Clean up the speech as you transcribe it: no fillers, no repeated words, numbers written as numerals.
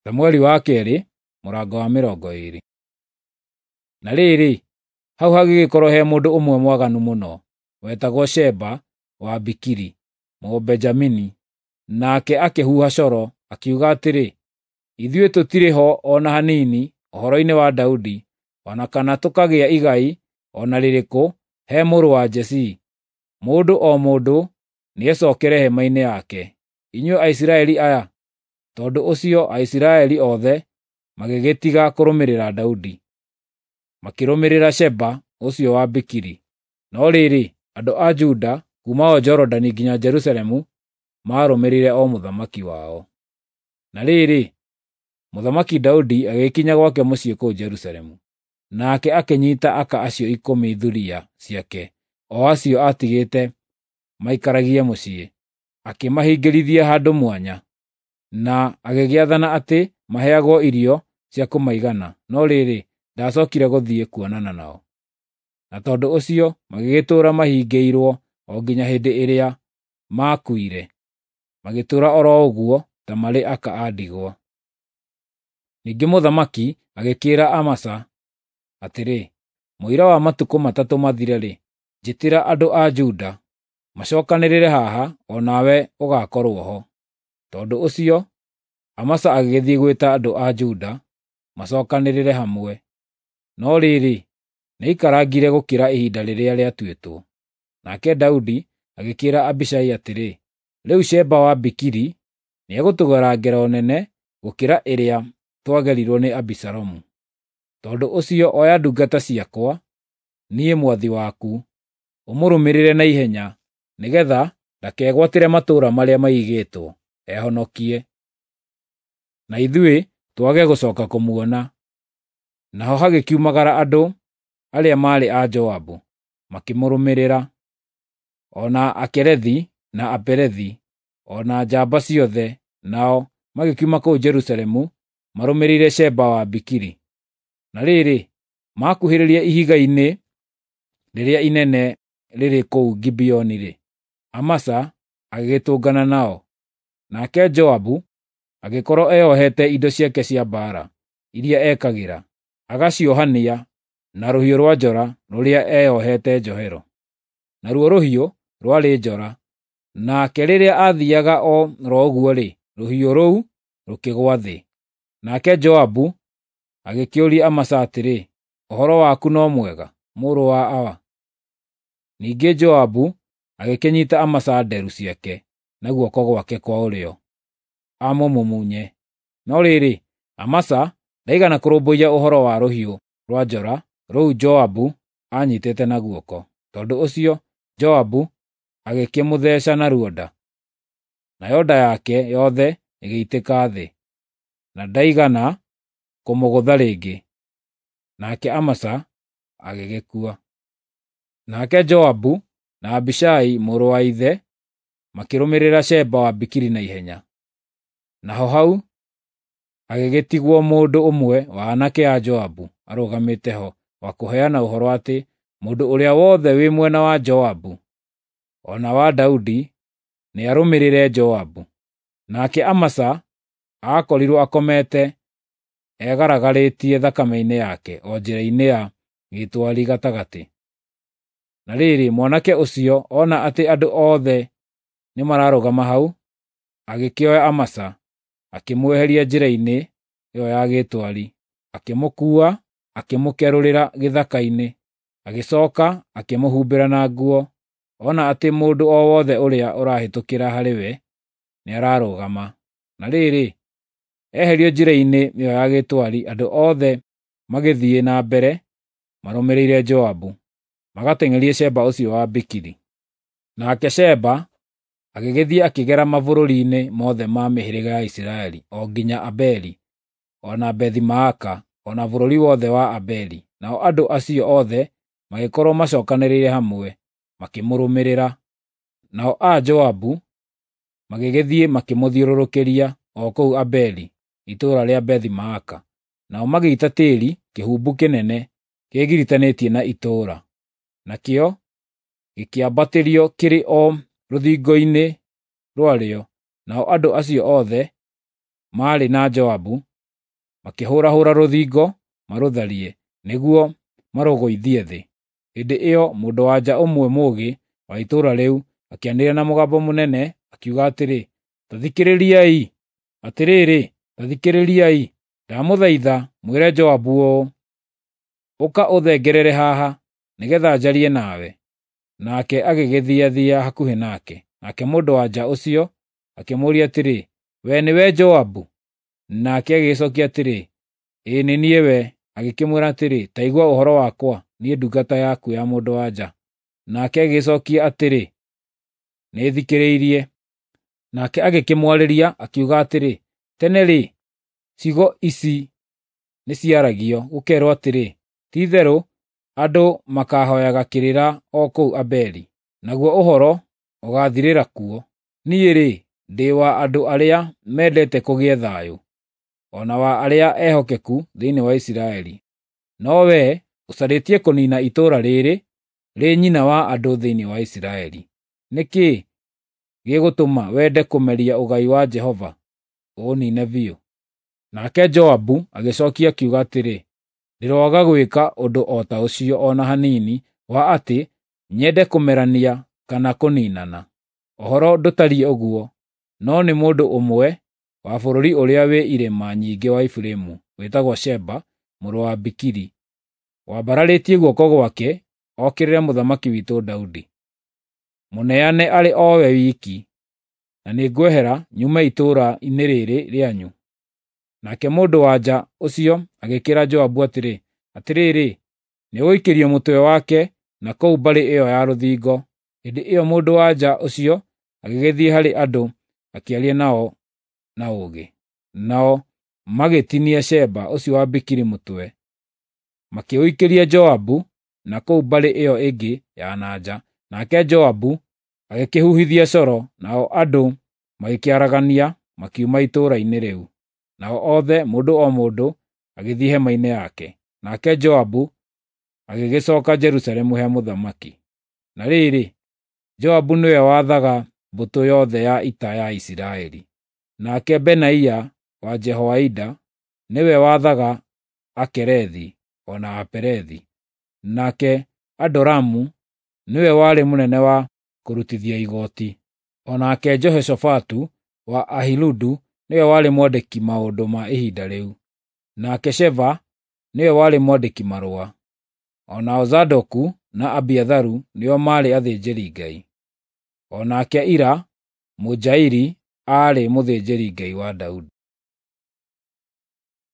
Samueli wa kerĩ mũrango wa 20. Na rĩrĩ, hau hagĩgĩkorwo he mũndũ ũmwe mwaganu mũno, wetagwo Sheba wa Bikiri, Mũbenjamini. Nake akĩhuha coro, akiuga atĩrĩ, "Ithuĩ tũtirĩ ho o na hanini ũhoro-inĩ wa Daudi, o na kana tũkagĩa igai o na rĩrĩkũ he mũrũ wa Jesii. Mũndũ o mũndũ nĩecokere hema-inĩ yake, inyuĩ Aisiraeli aya." Tondũ ũcio Aisiraeli othe magĩgĩtiga kũrũmĩrĩra Daudi, makĩrũmĩrĩra Sheba ũcio wa Bikiri. No rĩrĩ, andũ a Juda kuuma o Jorodani nginya Jerusalemu maarũmĩrĩire o mũthamaki wao. Na rĩrĩ, Mũthamaki Daudi agĩkinya gwake mũciĩ kũu Jerusalemu. Nake akĩnyiita aka acio 10 thuriya ciake, o acio aatigĩte maikaragie mũciĩ, akĩmahingĩrithia handũ mwanya, na agĩgĩathana atĩ maheagwo irio cia kũmaigana, no rĩrĩ, ndacookire gũthiĩ kuonana nao. Na tondũ ũcio magĩgĩtũũra mahingĩirwo o nginya hĩndĩ ĩrĩa maakuire, magĩtũũra o ro ũguo ta marĩ aka a ndigwa. Ningĩ mũthamaki agĩkĩĩra Amasa atĩrĩ, "Mũira wa matukũ 3 mathire-rĩ, njĩtĩra andũ a Juda macookanĩrĩre haha, o nawe ũgaakorwo ho." Tondũ ũcio Amasa agĩgĩthiĩ gwĩta andũ a Juda macookanĩrĩre hamwe, no rĩrĩ, nĩaikarangire gũkĩra ihinda rĩrĩa rĩatuĩtwo. Nake Daudi agĩkĩĩra Abishai atĩrĩ, "Rĩu Sheba wa Bikiri nĩegũtũgera ngero nene gũkĩra ĩrĩa twagerirwo nĩ Abisalomu. Tondũ ũcio oya ndungata ciakwa, niĩ mwathi waku, ũmũrũmĩrĩre na ihenya, nĩgeetha ndakegwatĩre matũũra marĩa mairigĩtwo, ehonokie, na ithuĩ twage gũcooka kũmuona." Naho hagĩkiumagara andũ arĩa maarĩ a Joabu, makĩmũrũmĩrĩra, o na Akerethi na Apelethi, o na njamba ciothe, nao magĩkiuma kũu Jerusalemu marũmĩrĩire Sheba wa Bikiri. Na rĩrĩ, maakuhĩrĩria ihiga-inĩ rĩrĩa inene rĩrĩ kũu Gibeoni-rĩ, Amasa agĩgĩtũngana nao. Nake Joabu agĩkorwo eyohete indo ciake cia mbaara iria ekagĩra, agaciohania na rũhiũ rwa njora rũrĩa eyohete njohero. Naruo rũhiũ rwarĩ njora, nake rĩrĩa aathiiaga o ro ũguo-rĩ, rũhiũ rũu rũkĩgũa thĩ. Nake Joabu agĩkĩũria Amasa atĩrĩ, "Ũhoro waku no mwega, mũrũ wa awa?" Ningĩ Joabu agĩkĩnyiita Amasa nderu ciake na guoko gwake kwa ũrĩo amũmumunye. No rĩrĩ, Amasa ndaigana kũrũmbũiya ũhoro wa rũhiũ rwa njora rũu Joabu aanyiitĩte na guoko. Tondũ ũcio Joabu agĩkĩmũtheeca naruo nda, nayo nda yake yothe ĩgĩitĩka thĩ, na ndaigana kũmũgũtha rĩngĩ. Nake Amasa agĩgĩkua. Nake Joabu na Abishai mũrũ wa ithe makĩrũmĩrĩra Sheba wa Bikiri na ihenya. Naho hau hagĩgĩtigwo mũndũ ũmwe wa aanake a Joabu arũgamĩte ho wa kũheana ũhoro atĩ mũndũ ũrĩa wothe wĩ mwena wa Joabu o na wa Daudi nĩarũmĩrĩre Joabu. Nake Amasa aakorirwo akomete egaragarĩtie thakame-inĩ yake o njĩra-inĩ ya gĩtwari gatagatĩ. Na rĩrĩ, mwanake ũcio ona atĩ andũ othe nĩmararũgama hau, agĩkĩoya Amasa, akĩmweheria njĩra-inĩ ĩyo ya gĩtwari, akĩmũkuua akĩmũkerũrĩra gĩthaka-inĩ, agĩcooka akĩmũhumbĩra na nguo, ona atĩ mũndũ o wothe ũrĩa ũrahĩtũkĩra harĩ we nĩararũgama. Na rĩrĩ, eherio njĩra-inĩ ĩyo ya gĩtwari, andũ othe magĩthiĩ na mbere marũmĩrĩire Joabu, magateng'erie Sheba ũcio wa Bikiri. Nake Sheba agĩgĩthiĩ akĩgera mabũrũri-inĩ mothe ma mĩhĩrĩga ya Isiraeli o nginya Abeli, o na Bethi-Maaka, o na bũrũri wothe wa Abeli. Nao andũ acio othe magĩkorwo macookanĩrĩire hamwe, makĩmũrũmĩrĩra. Nao a Joabu magĩgĩthiĩ makĩmũthiũrũrũkĩria o kũu Abeli, itũũra rĩa Bethi-Maaka. Nao magĩita tĩĩri kĩhumbu kĩnene kĩĩgiritanĩtie na itũũra, nakĩo gĩkĩambatĩrio kĩrĩ o rũthingo-inĩ rwarĩo. Nao andũ acio othe maarĩ na Joabu makĩhũrahũra rũthingo marũtharie, nĩguo marũgũithie thĩ. Hĩndĩ ĩyo mũndũ-wa-nja ũmwe mũũgĩ wa itũũra rĩu akĩanĩrĩra na mũgambo mũnene, akiuga atĩrĩ, “Ta thikĩrĩriai! Atĩrĩrĩ, ta thikĩrĩriai! Ndamũthaitha mwĩre Joabu ũũ, ‘Ũka ũthengerere haha, nĩgeetha njarie nawe.’ ” Nake agĩgĩthiathia hakuhĩ nake. Nake mũndũ-wa-nja ũcio akĩmũũria atĩrĩ, “Wee nĩwe Joabu?” Nake agĩgĩcookia atĩrĩ, “Ĩĩ nĩ niĩ we.” Agĩkĩmwĩra atĩrĩ, “Ta igua ũhoro wakwa, niĩ ndungata yaku ya mũndũ-wa-nja.” Nake agĩgĩcookia atĩrĩ, “Nĩthikĩrĩirie.” Nake agĩkĩmwarĩria, akiuga atĩrĩ, “Tene-rĩ, ciugo ici nĩciaragio, gũkeerwo atĩrĩ, ‘Ti-itherũ andũ makaahooyaga kĩrĩra o kũu Abeli, naguo ũhoro ũgaathirĩra kuo.’ Niĩ-rĩ, ndĩ wa andũ arĩa mendete kũgĩe thayũ, o na wa arĩa ehokeku thĩinĩ wa Isiraeli. No wee ũcarĩtie kũniina itũũra rĩĩrĩ rĩ nyina wa andũ thĩinĩ wa Isiraeli. Nĩ kĩĩ gĩgũtũma wende kũmeria ũgai wa Jehova, ũũniine biũ?” Nake Joabu agĩcookia akiuga atĩrĩ, “Ndĩroaga gwĩka ũndũ o ta ũcio o na hanini wa atĩ nyende kũmerania kana kũniinana. Ũhoro ndũtariĩ ũguo, no nĩ mũndũ ũmwe wa bũrũri ũrĩa wĩ irĩma nyingĩ wa Efiraimu, wĩtagwo Sheba mũrũ wa Bikiri, wambararĩtie guoko gwake okĩrĩre mũthamaki witũ Daudi. Mũneane arĩ o we wiki, na nĩngwehera nyume itũũra-inĩ rĩĩrĩ rĩanyu.” Nake mũndũ-wa-nja ũcio agĩkĩĩra Joabu atĩrĩ, “Atĩrĩrĩ, nĩũgũikĩrio mũtwe wake na kũu mbarĩ ĩyo ya rũthingo.” Hĩndĩ ĩyo mũndũ-wa-nja ũcio agĩgĩthiĩ harĩ andũ akĩaria nao na ũũgĩ. Nao magĩtinia Sheba ũcio wa Bikiri mũtwe, makĩũikĩria Joabu na kũu mbarĩ ĩyo ĩngĩ ya na nja. Nake Joabu agĩkĩhuhithia coro, nao andũ magĩkĩaragania makiuma itũũra-inĩ rĩu. Nao othe, mũndũ o mũndũ, agĩthiĩ hema-inĩ yake. Nake Joabu agĩgĩcooka Jerusalemu he mũthamaki. Na rĩrĩ, Joabu nĩwe waathaga mbũtũ yothe ya ita ya Isiraeli. Nake Benaia wa Jehoiada nĩwe waathaga Akerethi o na Apelethi. Nake Adoramu nĩwe warĩ mũnene wa kũrutithia igooti. O nake Jehoshafatu wa Ahiludu nĩwe warĩ mwandĩki maũndũ ma ihinda rĩu. Nake Sheva nĩwe warĩ mwandĩki-marũa. O nao Zadoku na Abiatharu nĩo maarĩ athĩnjĩri-Ngai. O nake Ira Mũnjairi aarĩ mũthĩnjĩri-Ngai wa Daudi.